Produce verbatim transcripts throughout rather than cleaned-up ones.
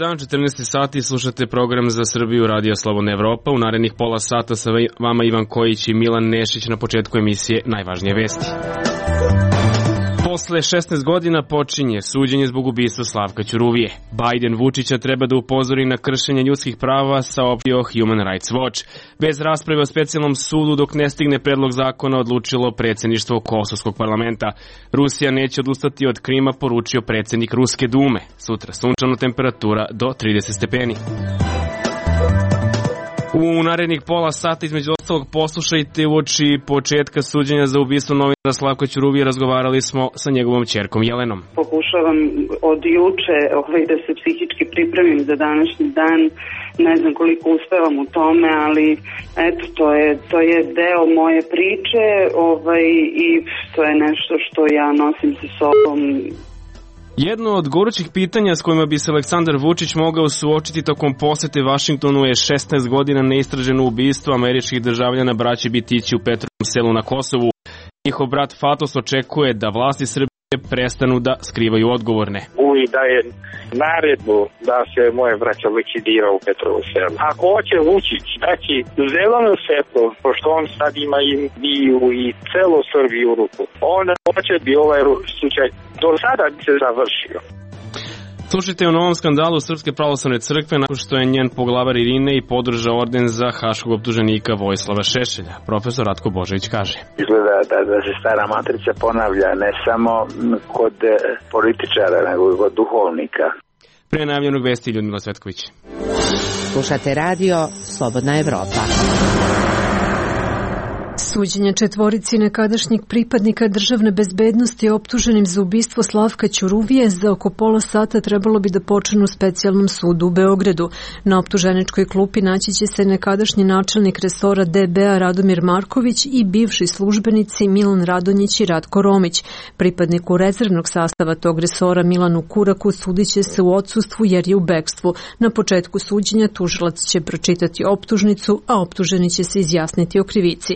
dan, četrnaesti sati, slušate program za Srbiju Radio Slobodna Evropa. U narednih pola sata sa vama Ivan Kojić i Milan Nešić. Na početku emisije najvažnije vesti. Posle šesnaest godina počinje suđenje zbog ubistva Slavka Ćuruvije. Biden Vučića treba da upozori na kršenje ljudskih prava, saopštio Human Rights Watch. Bez rasprave o specijalnom sudu dok ne stigne predlog zakona odlučilo predsjedništvo Kosovskog parlamenta. Rusija neće odustati od Krima, poručio predsjednik Ruske dume. Sutra sunčano, temperatura do trideset stepeni. U narednih pola sata između ostalog poslušajte uoči početka suđenja za ubistvo novinara Slavka Ćuruvije. Razgovarali smo sa njegovom ćerkom Jelenom. Pokušavam od juče ovaj, da se psihički pripremim za današnji dan. Ne znam koliko uspevam u tome, ali eto, to je, to je deo moje priče ovaj, i to je nešto što ja nosim sa sobom. Jedno od gorućih pitanja s kojima bi se Aleksandar Vučić mogao suočiti tokom posete Vašingtonu je šesnaest godina neistraženo ubistvo američkih državljana braće Bitići u Petrovom Selu na Kosovu. Njihov brat Fatos očekuje da vlasti Srbije prestanu da skrivaju odgovorne. Uvi daje naredbu da se moje braća likvidira u Petrovom Selu. Ako hoće Vučić daći zeleno svetlo, pošto on sad ima i Biju i celo Srbiju u ruku, onda hoće bi ovaj slučaj do sada bi se završio. Slušajte o novom skandalu Srpske pravoslavne crkve nakon što je njen poglavar Irine i podržao orden za haškog optuženika Vojislava Šešelja. Profesor Ratko Božović kaže. Izgleda da, da se stara matrica ponavlja ne samo kod političara, nego i kod duhovnika. Pre najavljenog vesti Ljudmila Cvetković. Slušate radio Slobodna Evropa. Suđenje četvorici nekadašnjih pripadnika državne bezbednosti optuženim za ubistvo Slavka Ćuruvije za oko pola sata trebalo bi da počnu u specijalnom sudu u Beogradu. Na optuženičkoj klupi naći će se nekadašnji načelnik resora D B-a Radomir Marković i bivši službenici Milan Radonjić i Ratko Romić. Pripadniku rezervnog sastava tog resora Milanu Kuraku sudit će se u odsustvu jer je u bekstvu. Na početku suđenja tužilac će pročitati optužnicu, a optuženi će se izjasniti o krivici.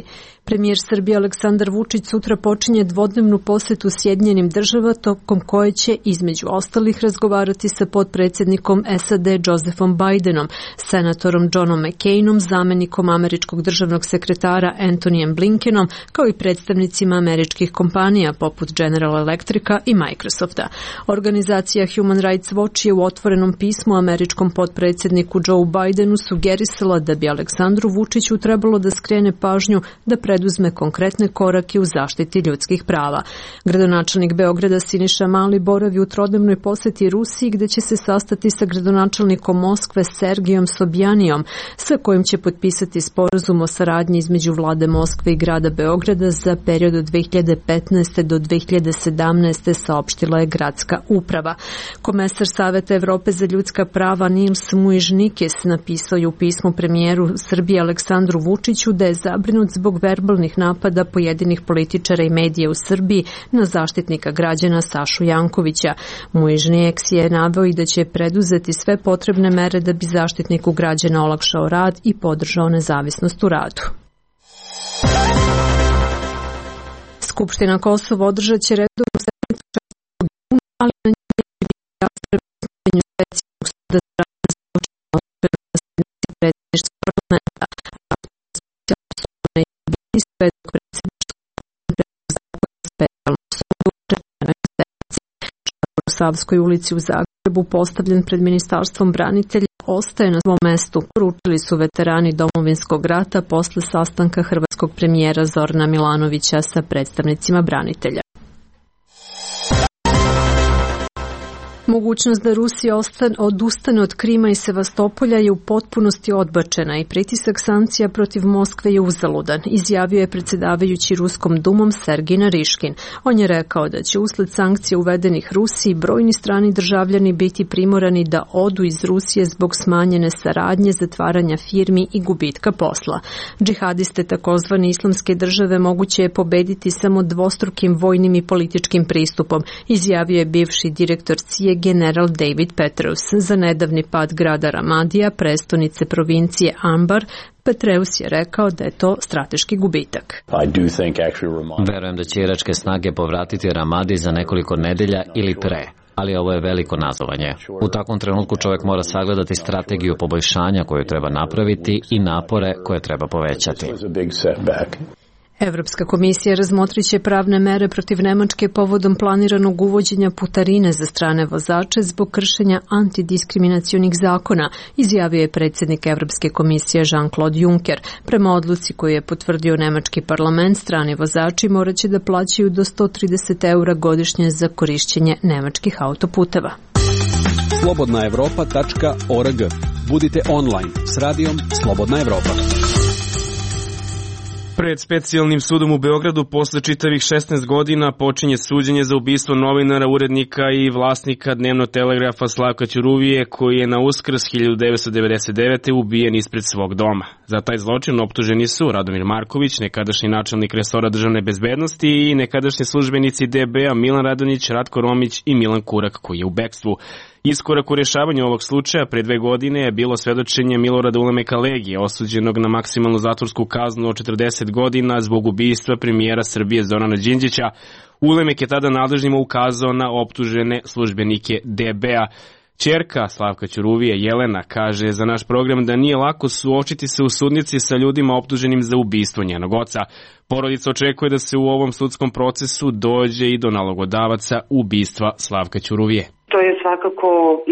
Premijer Srbije Aleksandar Vučić sutra počinje dvodnevnu posetu Sjedinjenim državama tokom koje će između ostalih razgovarati sa potpredsjednikom S A D Josephom Bidenom, senatorom Johnom McCainom, zamenikom američkog državnog sekretara Antonijem Blinkenom, kao i predstavnicima američkih kompanija poput General Electrica i Microsofta. Organizacija Human Rights Watch je u otvorenom pismu američkom potpredsjedniku Joe Bidenu sugerisala da bi Aleksandru Vučiću trebalo da skrene pažnju da preduzme konkretne korake u zaštiti ljudskih prava. Gradonačelnik Beograda Siniša Mali boravi u trodnevnoj poseti Rusiji gde će se sastati sa gradonačelnikom Moskve Sergijom Sobjanijom, sa kojim će potpisati sporazum o saradnji između vlade Moskve i grada Beograda za period od dve hiljade petnaeste do dve hiljade sedamnaeste, saopštila je gradska uprava. Komesar Saveta Evrope za ljudska prava Nils Muižnikis napisao je u pismu premijeru Srbije Aleksandru Vučiću da je zabrinut zbog verbalnih napada pojedinih političara i medija u Srbiji na zaštitnika građana Sašu Jankovića. Muižnijeks je naveo i da će preduzeti sve potrebne mere da bi zaštitniku građana olakšao rad i podržao nezavisnost u radu. Skupština Kosova održat će redovnu sednicu četvrtog juna, ali na njoj će biti rasprave o osnivanju specijalnog suda za ratne zločine otvorene na sednici predsjedništva parlamenta. Svedok predsjedništva specijalnog suda u četvrtoj sednici. Šator u Savskoj ulici u Zagrebu, postavljen pred Ministarstvom branitelja, ostaje na svom mestu, poručili su veterani Domovinskog rata posle sastanka hrvatskog premijera Zorana Milanovića sa predstavnicima branitelja. Mogućnost da Rusija odustane od Krima i Sevastopolja je u potpunosti odbačena i pritisak sankcija protiv Moskve je uzaludan, izjavio je predsjedavajući Ruskom dumom Sergij Nariškin. On je rekao da će usled sankcija uvedenih Rusiji brojni strani državljani biti primorani da odu iz Rusije zbog smanjene saradnje, zatvaranja firmi i gubitka posla. Džihadiste takozvane islamske države moguće je pobediti samo dvostrukim vojnim i političkim pristupom, izjavio je bivši direktor C I A general David Petraeus. Za nedavni pad grada Ramadija, prestonice provincije Anbar, Petraeus je rekao da je to strateški gubitak. Verujem da će iračke snage povratiti Ramadi za nekoliko nedelja ili pre. ali ovo je veliko nazovanje. U takvom trenutku čovjek mora sagledati strategiju poboljšanja koju treba napraviti i napore koje treba povećati. Evropska komisija razmotrit će pravne mere protiv Nemačke povodom planiranog uvođenja putarine za strane vozače zbog kršenja antidiskriminacionih zakona, izjavio je predsjednik Evropske komisije Jean-Claude Juncker. Prema odluci koju je potvrdio nemački parlament, strani vozači morat će da plaćaju do sto trideset eura godišnje za korišćenje nemačkih autoputeva. slobodna evropa tačka org. Budite online s radijom Slobodna Evropa. Pred specijalnim sudom u Beogradu posle čitavih šesnaest godina počinje suđenje za ubistvo novinara, urednika i vlasnika dnevnog telegrafa Slavka Ćuruvije, koji je na Uskrs hiljadu devetsto devedeset devete. ubijen ispred svog doma. Za taj zločin optuženi su Radomir Marković, nekadašnji načelnik resora državne bezbednosti, i nekadašnji službenici D B A Milan Radonjić, Ratko Romić i Milan Kurak, koji je u bekstvu. Iskorak u rješavanju ovog slučaja pre dve godine je bilo svedočenje Milorada Ulemeka Legije, osuđenog na maksimalnu zatvorsku kaznu od četrdeset godina zbog ubistva premijera Srbije Zorana Đinđića. Ulemek je tada nadležnima ukazao na optužene službenike D B A. Ćerka Slavka Ćuruvije, Jelena, kaže za naš program da nije lako suočiti se u sudnici sa ljudima optuženim za ubistvo njenog oca. Porodica očekuje da se u ovom sudskom procesu dođe i do nalogodavaca ubistva Slavka Ćuruvije. To je svakako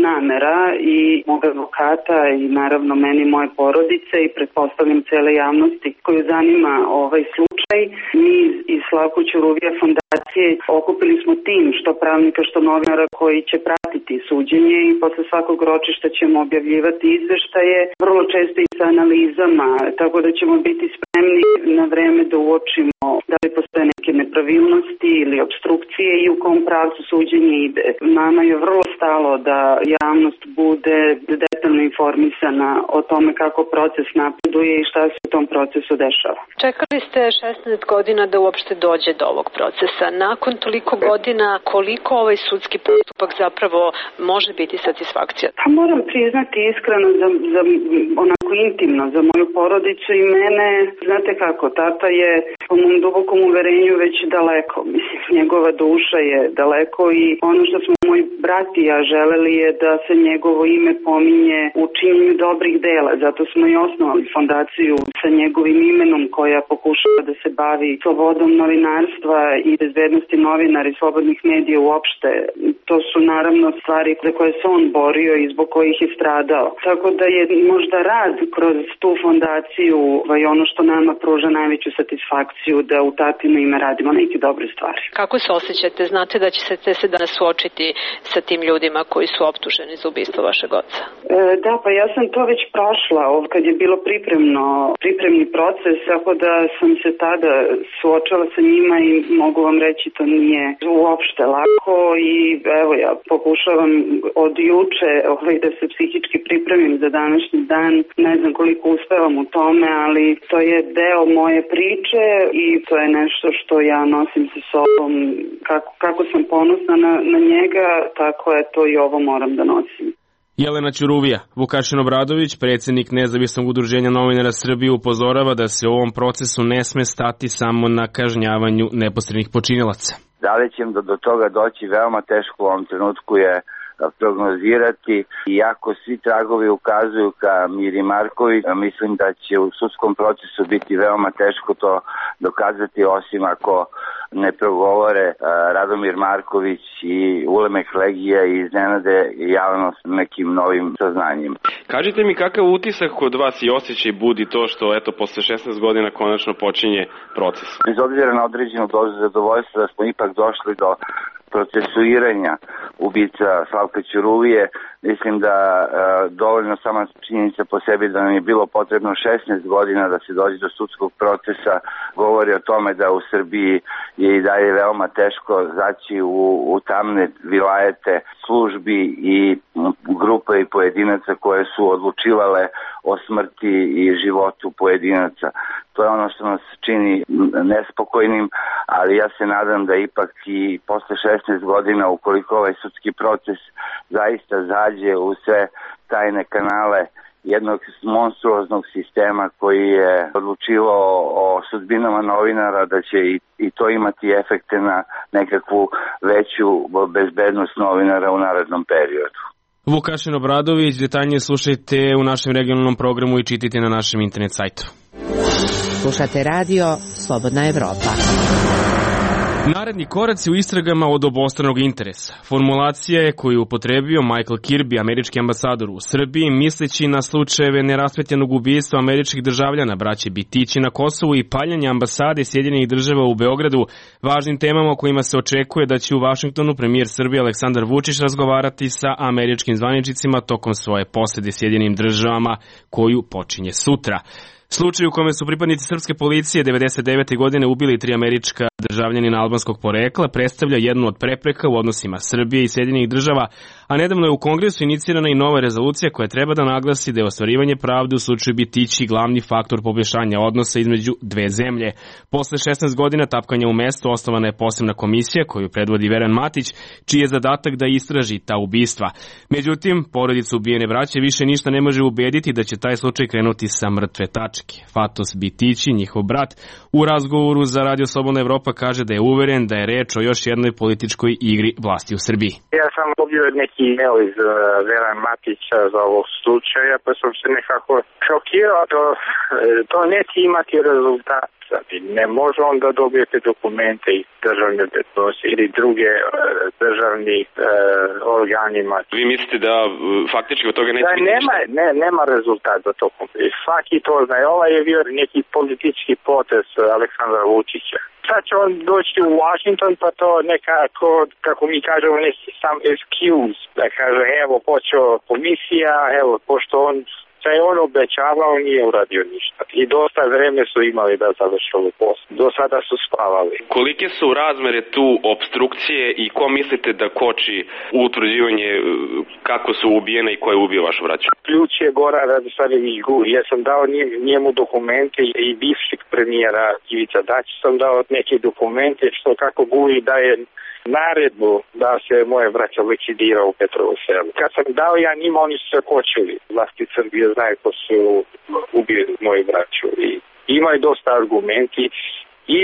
namera i mog advokata i naravno meni, moje porodice i pretpostavljam cele javnosti koju zanima ovaj slučaj. Mi iz Slavko Ćuruvija fondacije okupili smo tim što pravnika što novinara koji će pratiti suđenje i posle svakog ročišta ćemo objavljivati izveštaje, vrlo često i sa analizama, tako da ćemo biti spremni na vreme da uočimo da li postoje neke nepravilnosti ili obstrukcije i u kom pravcu suđenje ide. Nama je vrlo stalo da javnost bude detaljno informisana o tome kako proces napreduje i šta se u tom procesu dešava. Čekali ste šesnaest godina da uopšte dođe do ovog procesa. Nakon toliko godina, koliko ovaj sudski postupak zapravo može biti satisfakcija? Pa moram priznati iskreno, za, za, onako intimno, za moju porodicu i mene, znate kako, tata je po mom dubokom uverenju već daleko. Mislim, njegova duša je daleko i ono što smo moj brat i ja želeli je da se njegovo ime pominje u činjenju dobrih dela. Zato smo i osnovali fondaciju sa njegovim imenom koja pokušava da se bavi slobodom novinarstva i bezbednosti novinara i slobodnih medija uopšte. To su naravno stvari za koje se on borio i zbog kojih je stradao. Tako da je možda rad kroz tu fondaciju i ono što nama pruža najveću satisfakciju da u tatino ime radimo neke dobre stvari. Kako se osjećate? Znate da ćete se danas suočiti sa tim ljudima koji su optuženi za ubistvo vašeg oca? E, da, pa ja sam to već prošla kad je bilo pripremno, pripremni proces, tako da sam se tada suočala sa njima i mogu vam reći to nije uopšte lako i evo ja pokušavam od juče ovaj, da se psihički pripremim za današnji dan. Ne znam koliko uspevam u tome, ali to je deo moje priče i to je nešto što ja nosim sa sobom. Kako, kako sam ponosna na, na njega, tako je to i ovo moram da nosim. Jelena Ćuruvija. Vukašin Obradović, predsjednik Nezavisnog udruženja novinara Srbije, upozorava da se u ovom procesu ne sme stati samo na kažnjavanju neposrednih počinilaca. Da li će do, do toga doći veoma teško u ovom trenutku je prognozirati. Iako svi tragovi ukazuju ka Miri Marković, mislim da će u sudskom procesu biti veoma teško to dokazati, osim ako ne progovore Radomir Marković i Ulemek Legija i iznenade javnost nekim novim saznanjima. Kažite mi kakav utisak kod vas i osjećaj budi to što eto posle šesnaest godina konačno počinje proces? Bez obzira na određenu dozu zadovoljstva da smo ipak došli do procesuiranja ubica Slavka Ćuruvije, mislim da e, dovoljno sama činjenica po sebi da nam je bilo potrebno šesnaest godina da se dođe do sudskog procesa, govori o tome da u Srbiji je i dalje veoma teško zaći u, u tamne vilajete službi i grupa i pojedinaca koje su odlučivale o smrti i životu pojedinaca. To je ono što nas čini nespokojnim, ali ja se nadam da ipak i posle šesnaest godina, ukoliko ovaj sudski proces zaista zađe u sve tajne kanale jednog monstruoznog sistema koji je odlučivao o sudbinama novinara, da će i, i to imati efekte na nekakvu veću bezbednost novinara u narednom periodu. Vukašin Obradović, detaljnije slušajte u našem regionalnom programu i čitajte na našem internet sajtu. Slušate radio Slobodna Evropa. Naredni koraci u istragama od obostranog interesa. Formulacija je koju upotrebio Michael Kirby, američki ambasador u Srbiji, misleći na slučajeve neraspetljenog ubistva američkih državljana, braće Bitići na Kosovu i paljenja ambasade Sjedinjenih država u Beogradu, važnim temama o kojima se očekuje da će u Vašingtonu premijer Srbije Aleksandar Vučić razgovarati sa američkim zvaničnicima tokom svoje posete Sjedinjenim državama koju počinje sutra. Slučaj u kome su pripadnici srpske policije devedeset devete godine ubili tri američka državljanina albanskog porekla predstavlja jednu od prepreka u odnosima Srbije i Sjedinjenih država, a nedavno je u Kongresu inicirana i nova rezolucija koja treba da naglasi da je ostvarivanje pravde u slučaju Bitići glavni faktor poboljšanja odnosa između dve zemlje. Posle šesnaest godina tapkanja u mestu osnovana je posebna komisija koju predvodi Veran Matić, čiji je zadatak da istraži ta ubistva. Međutim, porodica ubijene braće više ništa ne može ubediti da će taj slučaj krenuti sa mrtve tačke. Fatos Bitići, njihov brat, u razgovoru za Radio Slobodna Evropa kaže da je uveren da je reč o još jednoj političkoj igri vlasti u Srbiji. Ja sam dobio neki email iz uh, Veran Matića za ovog slučaja, pa sam se nekako šokirao. To, to neće imati rezultat. Ne može on da dobijete dokumente iz državne bezbednosti ili druge uh, državni uh, organima. Vi mislite da uh, faktički od toga neće da, biti nema, ne, nema rezultat za to. Svaki to zna. Ovaj je bio neki politički potez Aleksandra Vučića. Sad će on doći u Washington, pa to nekako, kako mi kažemo, neki sam excuse, da kaže, evo, počeo komisija, evo, pošto on se je on obećavao, nije uradio ništa. I dosta vreme su imali da završi ovu poslu. Do sada su spavali. Kolike su razmere tu obstrukcije i ko mislite da koči utvrđivanje kako su ubijene i ko je ubio vašu braću? Ključ je Goran Radosavljević Guri. Ja sam dao njemu dokumente i bivšeg premijera Ivica Dačić sam dao neke dokumente što kako Guri daje naredbu da se moje braća likvidira u Petrovu selu. Kad sam dao ja njima, oni su se kočili. Vlasti Srbije znaju ko su ubili moju braću. I ima i dosta argumenti,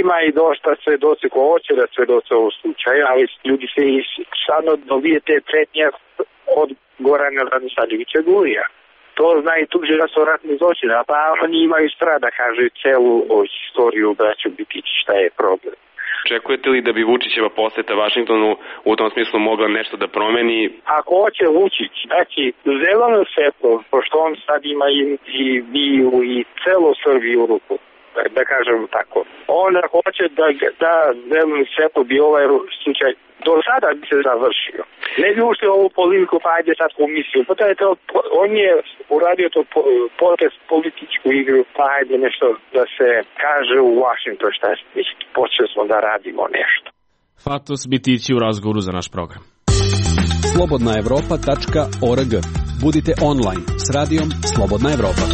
ima i dosta svedoci ko hoće da svedoce ovog slučaja, ali ljudi se i sadno dobijete pretnje od Gorana Radosavljevića Gurija. To zna i tuđe da su ratni zločine, a pa oni imaju strada, kaže, celu istoriju braću Bitići, šta je problem. Očekujete li da bi Vučićeva poseta Vašingtonu u tom smislu mogla nešto da promeni? Ako hoće Vučić, znači zeleno svetlo, pošto on sad ima i, i biju i celo Srbiju u ruku, da, da kažem tako. On ako hoće da, da zeleno svetlo bi ovaj slučaj do sada bi se završio. Ne bi ušli ovu polemiku, pa ajde sad komisiju. Pa je to, on je uradio to potez političku igru, pa ajde nešto da se kaže u Washington šta je. Počeli smo da radimo nešto. Fatos Bitići u razgovoru za naš program. slobodna evropa tačka org. Budite online s radijom Slobodna Evropa.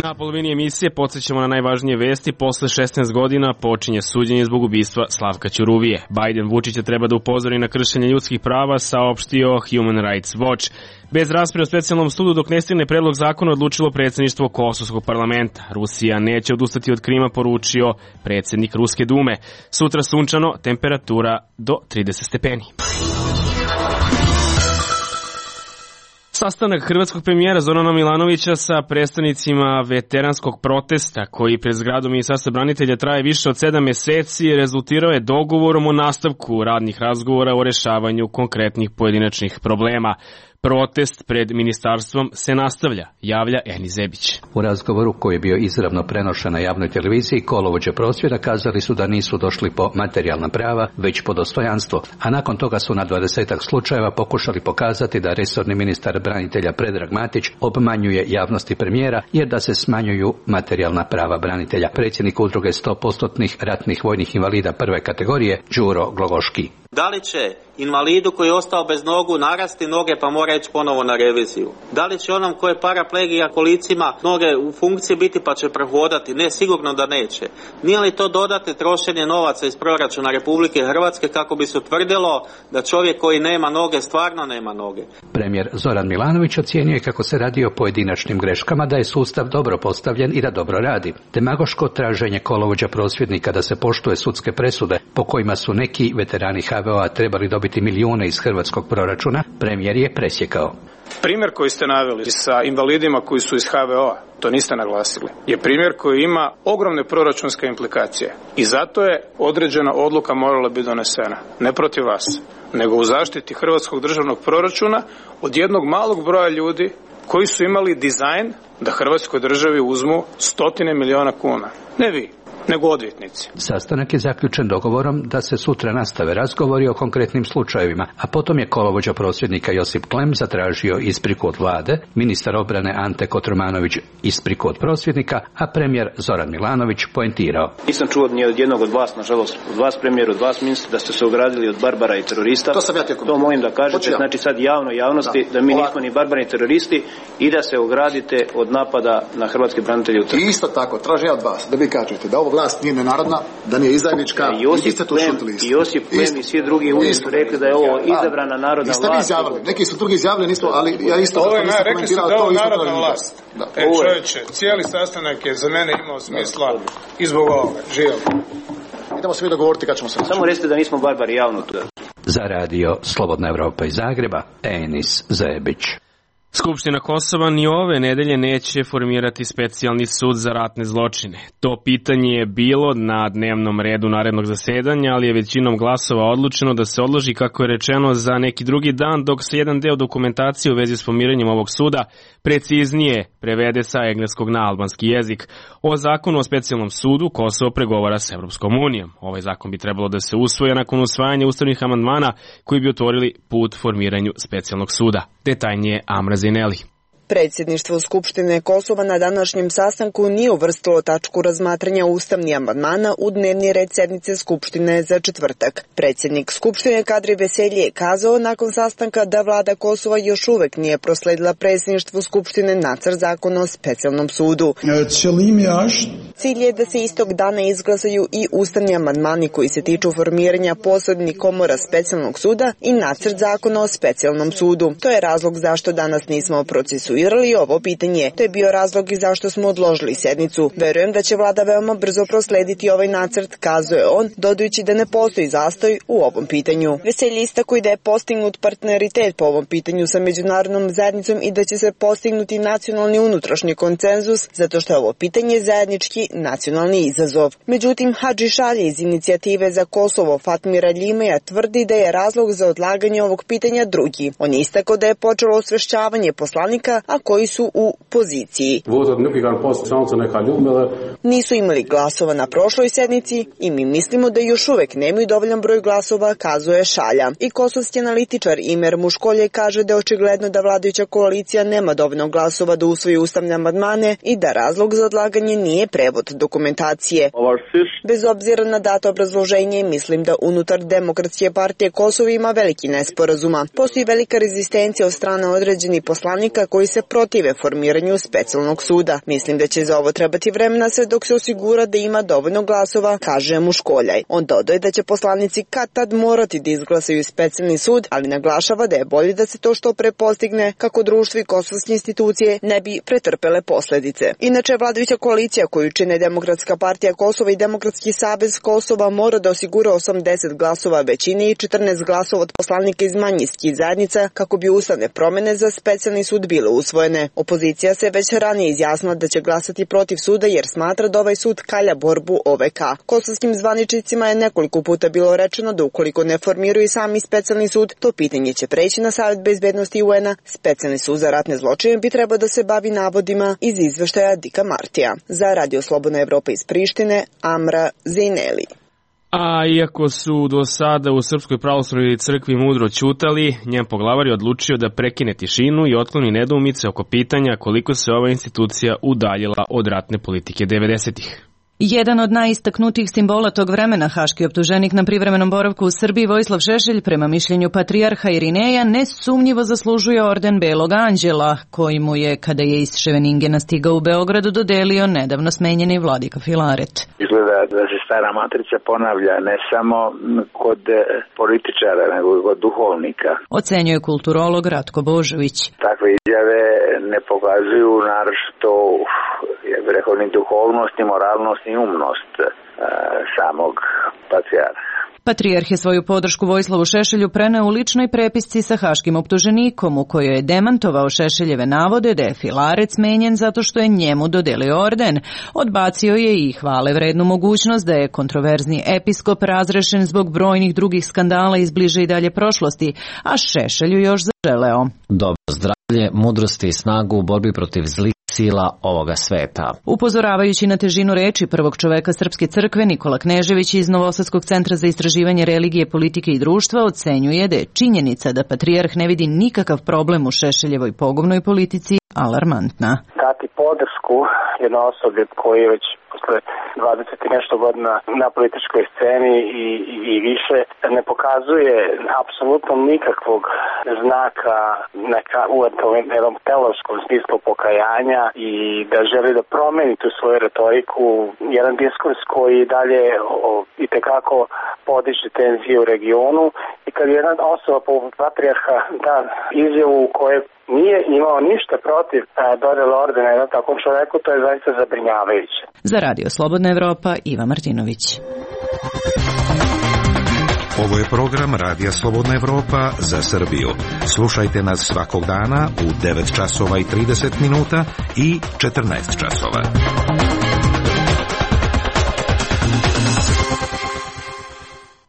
Na polovini emisije podsjećamo na najvažnije vesti. Posle šesnaest godina počinje suđenje zbog ubistva Slavka Ćuruvije. Biden Vučića treba da upozori na kršenje ljudskih prava, saopštio Human Rights Watch. Bez rasprave o specijalnom sudu dok ne stigne predlog zakona odlučilo predsjedništvo Kosovskog parlamenta. Rusija neće odustati od Krima, poručio predsjednik Ruske dume. Sutra sunčano, temperatura do trideset stepeni. Sastanak hrvatskog premijera Zorana Milanovića sa predstavnicima veteranskog protesta koji pred zgradom Ministarstva branitelja traje više od sedam meseci rezultirao je dogovorom o nastavku radnih razgovora o rešavanju konkretnih pojedinačnih problema. Protest pred ministarstvom se nastavlja, javlja Eni Zebić. U razgovoru koji je bio izravno prenošen na javnoj televiziji, kolovođe prosvjeda kazali su da nisu došli po materijalna prava, već po dostojanstvo, a nakon toga su na dvadesetak slučajeva pokušali pokazati da resorni ministar branitelja Predrag Matić obmanjuje javnosti premijera jer da se smanjuju materijalna prava branitelja. Predsjednik udruge sto posto ratnih vojnih invalida prve kategorije, Đuro Glogoški. Da li će invalidu koji je ostao bez nogu narasti noge pa mora ići ponovo na reviziju? Da li će onom koji je paraplegija kolicima noge u funkciji biti pa će prehodati? Ne, sigurno da neće. Nije li to dodatne trošenje novaca iz proračuna Republike Hrvatske kako bi se utvrdilo da čovjek koji nema noge stvarno nema noge? Premijer Zoran Milanović ocjenjuje kako se radi o pojedinačnim greškama, da je sustav dobro postavljen i da dobro radi. Demagoško traženje kolovođa prosvjednika da se poštuje sudske presude po kojima su neki veterani ha ve o-a trebali dobiti milijune iz hrvatskog proračuna, premijer je presjekao. Primjer koji ste naveli sa invalidima koji su iz ha ve o-a, to niste naglasili, je primjer koji ima ogromne proračunske implikacije. I zato je određena odluka morala biti donesena. Ne protiv vas, nego u zaštiti hrvatskog državnog proračuna od jednog malog broja ljudi koji su imali dizajn da hrvatskoj državi uzmu stotine miliona kuna. Ne vi, nego odvjetnici. Sastanak je zaključen dogovorom da se sutra nastave razgovori o konkretnim slučajevima, a potom je kolovođa prosvjednika Josip Klem zatražio ispriku od vlade, ministar obrane Ante Kotromanović ispriku od prosvjednika, a premijer Zoran Milanović poentirao. Nisam čuo ni od jednog od vas, nažalost, od vas premijer, od vas ministar, da ste se ogradili od barbara i terorista. To sam ja tijekom. To molim da kažete, znači sad javno javnosti da, da mi nismo ni barbari ni teroristi i da se ogradite od napada na hrvatske branitelje u Trstu. I isto tako, tražim ja od vas da vi kažete da ovo vlast nije nenarodna, da nije izdajnička, i Josip Klem i Josip Klem i svi drugi uvijek su rekli da je ovo izabrana narodna vlast. Niste vi izjavili, neki su drugi izjavili, nismo, ali ja isto ovo je, na, rekli su da je ovo narodna vlast. Da. E čovječe, cijeli sastanak je za mene imao smisla i zbog ovoga. Živio. Idemo se mi dogovoriti kad ćemo se naći. Samo recite da nismo barbari javno tu. Za radio Slobodna Evropa iz Zagreba, Enis Zebić. Skupština Kosova ni ove nedelje neće formirati specijalni sud za ratne zločine. To pitanje je bilo na dnevnom redu narednog zasedanja, ali je većinom glasova odlučeno da se odloži, kako je rečeno, za neki drugi dan, dok se jedan deo dokumentacije u vezi s pomiranjem ovog suda preciznije prevede sa engleskog na albanski jezik. O zakonu o specijalnom sudu Kosovo pregovara s Evropskom unijom. Ovaj zakon bi trebalo da se usvoje nakon usvajanja ustavnih amandmana koji bi otvorili put formiranju specijalnog suda. Detaljnije Amra Zineli. Predsjedništvo Skupštine Kosova na današnjem sastanku nije uvrstilo tačku razmatranja ustavnih amandmana u dnevni red sednice Skupštine za četvrtak. Predsjednik Skupštine Kadri Veselji je kazao nakon sastanka da vlada Kosova još uvek nije prosledila predsjedništvu Skupštine nacrt zakona o specijalnom sudu. Cilj je da se istog dana izglasaju i ustavni amandmani koji se tiču formiranja posebnih komora specijalnog suda i nacrt zakona o specijalnom sudu. To je razlog zašto danas nismo procesuirali ovo pitanje. To je bio razlog i zašto smo odložili sednicu. Verujem da će vlada veoma brzo proslediti ovaj nacrt, kazuje on, dodajući da ne postoji zastoj u ovom pitanju. Veselji istakuje da je postignut partneritet po ovom pitanju sa međunarodnom zajednicom i da će se postignuti nacionalni unutrašnji konsenzus, zato što je ovo pitanje zajednički nacionalni izazov. Međutim, Hadži Šalje iz inicijative za Kosovo Fatmira Ljimeja tvrdi da je razlog za odlaganje ovog pitanja drugi. On je istakao da je počelo osvešćavanje poslanika, a koji su u poziciji. Nisu imali glasova na prošloj sednici i mi mislimo da još uvek nemaju dovoljan broj glasova, kazuje Šalja. I kosovski analitičar Imer Muškolje kaže da je očigledno da vladajuća koalicija nema dovoljno glasova da usvoji ustavne amandmane i da razlog za odlaganje nije prevod dokumentacije. Bez obzira na dato obrazloženje, mislim da unutar Demokratske partije Kosova ima veliki nesporazuma. Postoji velika rezistencija od strane određenih poslanika koji se protive formiranju specijalnog suda. Mislim da će za ovo trebati vremena sve dok se osigura da ima dovoljno glasova, kaže Muškoljaj. On dodaje da će poslanici kad tad morati da izglasaju specijalni sud, ali naglašava da je bolje da se to što pre postigne kako društvo i kosovske institucije ne bi pretrpele posledice. Inače, vladajuća koalicija koju čine Demokratska partija Kosova i Demokratski savez Kosova mora da osigura osamdeset glasova većine i četrnaest glasova od poslanika iz manjinskih zajednica kako bi ustavne promene za specijalni sud bile usvojene. Opozicija se već ranije izjasnila da će glasati protiv suda jer smatra da ovaj sud kalja borbu O V K. Kosovskim zvaničnicima je nekoliko puta bilo rečeno da ukoliko ne formiraju sami specijalni sud, to pitanje će preći na Savet bezbednosti U N-a. Specijalni sud za ratne zločine bi trebao da se bavi navodima iz izveštaja Dika Martija. Za Radio Slobodna Evropa iz Prištine, Amra Zineli. A iako su do sada u Srpskoj pravoslavnoj crkvi mudro ćutali, njen poglavar je odlučio da prekine tišinu i otkloni nedoumice oko pitanja koliko se ova institucija udaljila od ratne politike devedesetih. Jedan od najistaknutijih simbola tog vremena, haški optuženik na privremenom boravku u Srbiji Vojislav Šešelj, prema mišljenju patrijarha Irineja, nesumnjivo zaslužuje orden Belog anđela, koji mu je, kada je iz Ševeningena stigao u Beogradu, dodelio nedavno smenjeni vladika Filaret. Izgleda da se stara matrica ponavlja ne samo kod političara, nego i kod duhovnika. Ocenjuje kulturolog Ratko Božović. Takve izjave ne pokazuju naročito, ja bih rekao, ni duhovnost, ni moralnost, ni umnost e, samog patrijarha. Patrijarh je svoju podršku Vojislavu Šešelju preneo u ličnoj prepisci sa haškim optuženikom, u kojoj je demantovao Šešeljeve navode da je Filaret smenjen zato što je njemu dodelio orden. Odbacio je i hvale vrednu mogućnost da je kontroverzni episkop razrešen zbog brojnih drugih skandala iz bliže i dalje prošlosti, a Šešelju još zaželeo dobro zdravlje, mudrosti i snagu u borbi protiv zlih sila ovoga sveta. Upozoravajući na težinu reči prvog čoveka Srpske crkve, Nikola Knežević iz Novosadskog centra za istraživanje religije, politike i društva ocenjuje da je činjenica da patrijarh ne vidi nikakav problem u Šešeljevoj pogubnoj politici alarmantna. Dati podršku jednoj osobi koji već posle dvadeset i nešto godina na političkoj sceni i, i, i više ne pokazuje apsolutno nikakvog znaka neka u jednom teološkom smislu pokajanja i da želi da promeni tu svoju retoriku, jedan diskurs koji dalje o, i tekako podiže tenzije u regionu i kad jedna osoba poput patrijarha da izjavu u kojoj nije imao ništa protiv dodele ordena jednom takvom čoveku, to je zaista zabrinjavajuće. Za Radio Slobodna Evropa, Iva Martinović. Ovo je program Radija Slobodna Evropa za Srbiju. Slušajte nas svakog dana u devet časova i trideset minuta i četrnaest časova.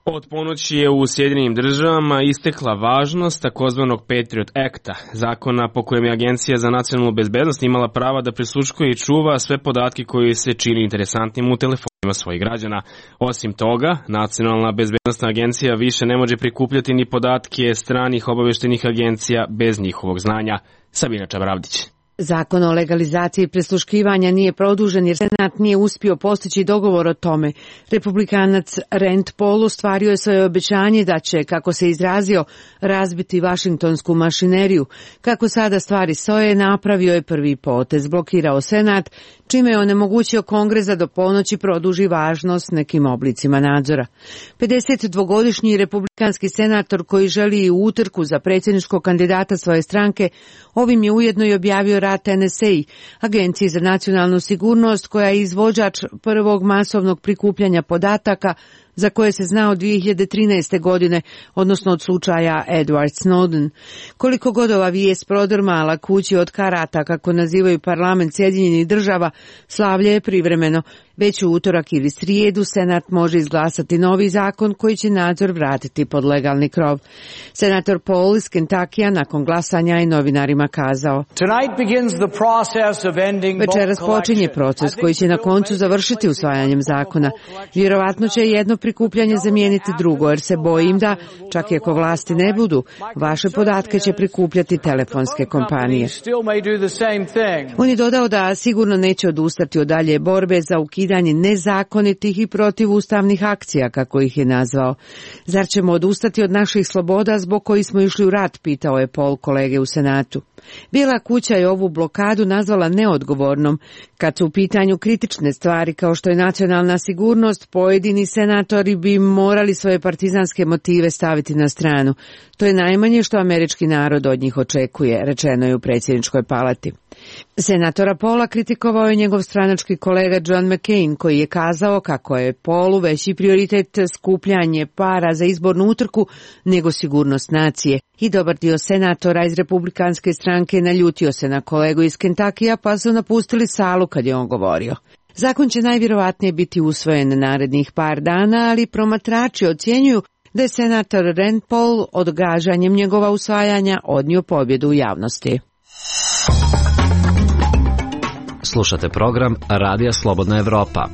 Od ponoći je u Sjedinjenim državama istekla važnost takozvanog Patriot Acta, zakona po kojem je Agencija za nacionalnu bezbednost imala prava da prisluškuje i čuva sve podatke koji se čini interesantnim u telefonima svojih građana. Osim toga, Nacionalna bezbednostna agencija više ne može prikupljati ni podatke stranih obaveštenih agencija bez njihovog znanja. Sabina Čabravdić. Zakon o legalizaciji prisluškivanja nije produžen jer Senat nije uspio postići dogovor o tome. Republikanac Rand Paul ostvario je svoje obećanje da će, kako se izrazio, razbiti vašingtonsku mašineriju. Kako sada stvari stoje, napravio je prvi potez, blokirao Senat, čime je onemogućio Kongres da do ponoći produži važnost nekim oblicima nadzora. pedesetdvogodišnji republikanski senator koji želi i u utrku za predsjedničkog kandidata svoje stranke, ovim je ujedno i objavio rat N S A, Agenciji za nacionalnu sigurnost, koja je izvođač prvog masovnog prikupljanja podataka za koje se zna od dvije hiljade trinaeste. godine, odnosno od slučaja Edward Snowden. Koliko god ova vijest prodrmala kući od karata, kako nazivaju parlament Sjedinjenih država, slavlje je privremeno. Već u utorak ili srijedu Senat može izglasati novi zakon koji će nadzor vratiti pod legalni krov. Senator Paul iz Kentakija nakon glasanja je novinarima kazao: Večeras počinje proces koji će na koncu završiti usvajanjem zakona. Vjerovatno će jedno prikupljanje zamijeniti drugo, jer se bojim da, čak i ako vlasti ne budu, vaše podatke će prikupljati telefonske kompanije. On je dodao da sigurno neće odustati od dalje borbe za ukidanje nezakonitih i protivustavnih akcija, kako ih je nazvao. Zar ćemo odustati od naših sloboda zbog kojih smo išli u rat, pitao je Paul kolege u Senatu. Bijela kuća je ovu blokadu nazvala neodgovornom. Kad su u pitanju kritične stvari kao što je nacionalna sigurnost, pojedini senatori bi morali svoje partizanske motive staviti na stranu. To je najmanje što američki narod od njih očekuje, rečeno je u predsjedničkoj palati. Senatora Paula kritikovao je njegov stranački kolega John McCain, koji je kazao kako je Paulu veći prioritet skupljanje para za izbornu utrku nego sigurnost nacije. I dobar dio senatora iz republikanske stranke naljutio se na kolegu iz Kentakija, pa su napustili salu kad je on govorio. Zakon će najvjerovatnije biti usvojen narednih par dana, ali promatrači ocjenjuju da je senator Rand Paul odgađanjem njegova usvajanja odnio pobjedu u javnosti. Slušate program Radija Slobodna Evropa.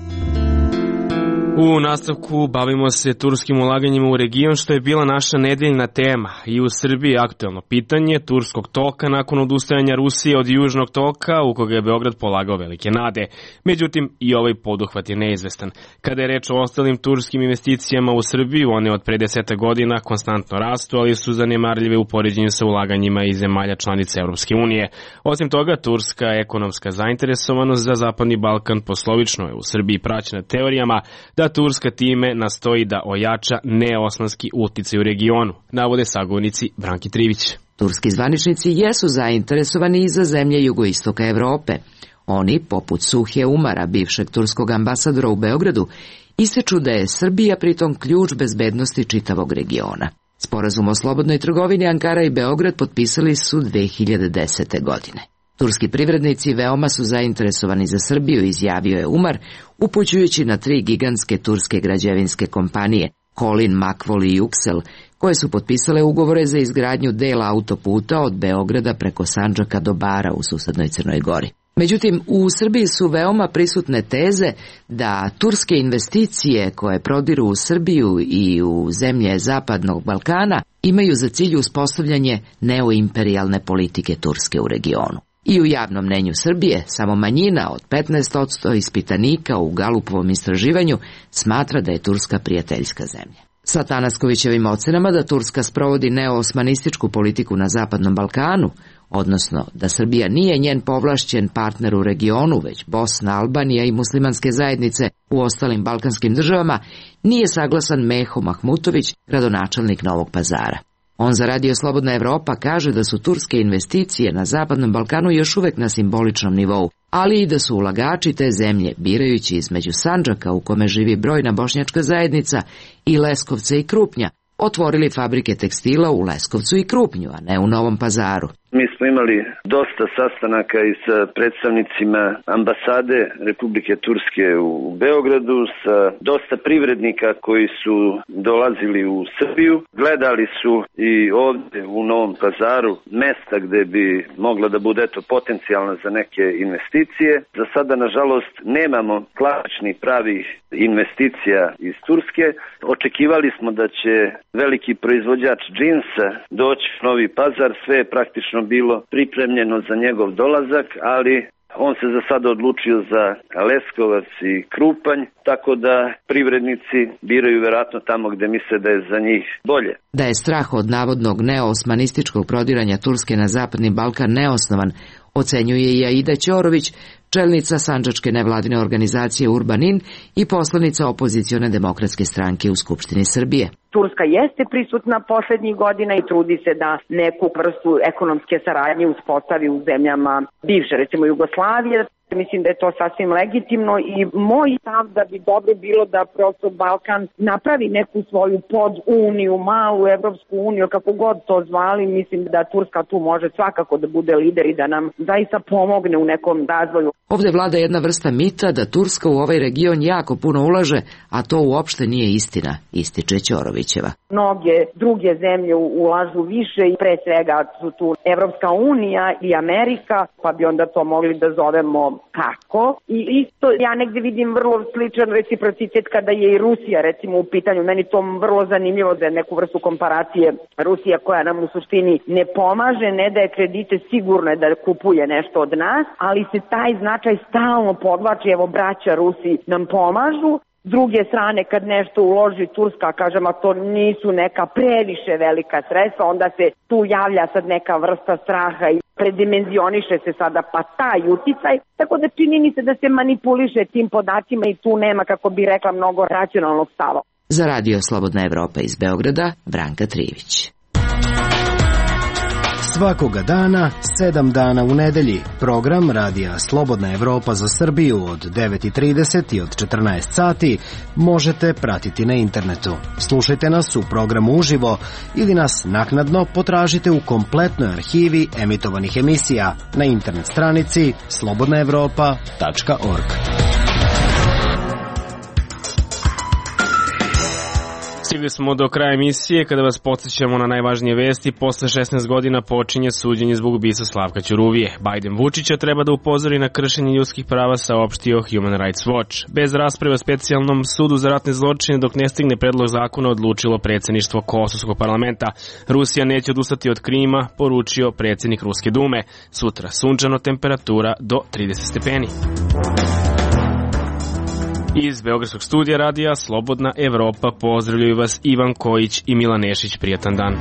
U nastavku bavimo se turskim ulaganjima u region, što je bila naša nedeljna tema. I u Srbiji je aktuelno pitanje turskog toka nakon odustajanja Rusije od južnog toka, u koga je Beograd polagao velike nade. Međutim, i ovaj poduhvat je neizvestan. Kada je reč o ostalim turskim investicijama u Srbiju, one od pre deseta godina konstantno rastu, ali su zanemarljive u poređenju sa ulaganjima iz zemalja članica Evropske unije. Osim toga, turska ekonomska zainteresovanost za Zapadni Balkan poslovično je u Srbiji praćena teorijama da Turska time nastoji da ojača neosmanski uticaj u regionu, navode sagovornici Branki Trivić. Turski zvaničnici jesu zainteresovani i za zemlje jugoistoka Evrope. Oni, poput Suhje Umara, bivšeg turskog ambasadora u Beogradu, ističu da je Srbija pritom ključ bezbednosti čitavog regiona. Sporazum o slobodnoj trgovini Ankara i Beograd potpisali su dve hiljade desete. godine. Turski privrednici veoma su zainteresovani za Srbiju, izjavio je Umar, upućujući na tri gigantske turske građevinske kompanije, Kolin, Makvol i Yuksel, koje su potpisale ugovore za izgradnju dela autoputa od Beograda preko Sandžaka do Bara u susednoj Crnoj Gori. Međutim, u Srbiji su veoma prisutne teze da turske investicije koje prodiru u Srbiju i u zemlje Zapadnog Balkana imaju za cilj uspostavljanje neoimperijalne politike Turske u regionu. I u javnom mnenju Srbije samo manjina od petnaest posto ispitanika u Galupovom istraživanju smatra da je Turska prijateljska zemlja. Sa Tanaskovićevim ocenama da Turska sprovodi neoosmanističku politiku na Zapadnom Balkanu, odnosno da Srbija nije njen povlašćen partner u regionu, već Bosna, Albanija i muslimanske zajednice u ostalim balkanskim državama, nije saglasan Meho Mahmutović, gradonačelnik Novog Pazara. On za Radio Slobodna Evropa kaže da su turske investicije na Zapadnom Balkanu još uvek na simboličnom nivou, ali i da su ulagači te zemlje, birajući između Sandžaka u kome živi brojna bošnjačka zajednica i Leskovca i Krupnja, otvorili fabrike tekstila u Leskovcu i Krupnju, a ne u Novom Pazaru. Mi smo imali dosta sastanaka i sa predstavnicima ambasade Republike Turske u Beogradu, sa dosta privrednika koji su dolazili u Srbiju. Gledali su i ovde u Novom Pazaru mesta gde bi mogla da bude eto potencijalna za neke investicije. Za sada, nažalost, nemamo klasičnih pravih investicija iz Turske. Očekivali smo da će veliki proizvođač džinsa doći u Novi Pazar, sve je praktično bilo pripremljeno za njegov dolazak, ali on se za sada odlučio za Leskovac i Krupanj, tako da privrednici biraju verovatno tamo gde misle da je za njih bolje. Da je strah od navodnog neoosmanističkog prodiranja Turske na Zapadni Balkan neosnovan, ocenjuje i Aida Ćorović, čelnica sandžačke nevladine organizacije Urbanin i poslanica opozicione demokratske stranke u Skupštini Srbije. Turska jeste prisutna poslednjih godina i trudi se da neku vrstu ekonomske saradnje uspostavi u zemljama bivše, recimo Jugoslavije. Mislim da je to sasvim legitimno i moj stav da bi dobro bilo da prosto Balkan napravi neku svoju poduniju, malu Evropsku uniju, kako god to zvali. Mislim da Turska tu može svakako da bude lider i da nam zaista pomogne u nekom razvoju. Ovde vlada jedna vrsta mita da Turska u ovaj region jako puno ulaže, a to uopšte nije istina, ističe Ćorovićeva. Mnoge druge zemlje ulažu više i pre svega su tu Evropska unija i Amerika, pa bi onda to mogli da zovemo kako. I isto ja negde vidim vrlo sličan reciprocitet kada je i Rusija recimo u pitanju. Meni to vrlo zanimljivo za neku vrstu komparacije. Rusija koja nam u suštini ne pomaže, ne daje kredite, sigurno je da kupuje nešto od nas, ali se taj značaj stalno podvlači. Evo, braća Rusi nam pomažu. S druge strane, kad nešto uloži Turska, kažem, a to nisu neka previše velika sredstva, onda se tu javlja sad neka vrsta straha i predimenzioniše se sada pa taj uticaj. Tako da čini mi se da se manipuliše tim podacima i tu nema, kako bi rekla, mnogo racionalnog stava. Za Radio Slobodna Evropa iz Beograda, Branka Trivić. Svakoga dana, sedam dana u nedelji, program Radija Slobodna Evropa za Srbiju od devet i trideset i od četrnaest sati možete pratiti na internetu. Slušajte nas u programu uživo ili nas naknadno potražite u kompletnoj arhivi emitovanih emisija na internet stranici slobodna evropa tačka org. Stigli smo do kraja emisije kada vas podsjećamo na najvažnije vesti. Posle šesnaest godina počinje suđenje zbog ubistva Slavka Ćuruvije. Biden Vučića treba da upozori na kršenje ljudskih prava, saopštio Human Rights Watch. Bez rasprave o specijalnom sudu za ratne zločine dok ne stigne predlog zakona odlučilo predsjedništvo Kosovskog parlamenta. Rusija neće odustati od Krima, poručio predsjednik Ruske dume. Sutra sunčano, temperatura do trideset stepeni. Iz Beogradskog studija radija Slobodna Evropa pozdravljaju vas Ivan Kojić i Milan Nešić. Prijatan dan.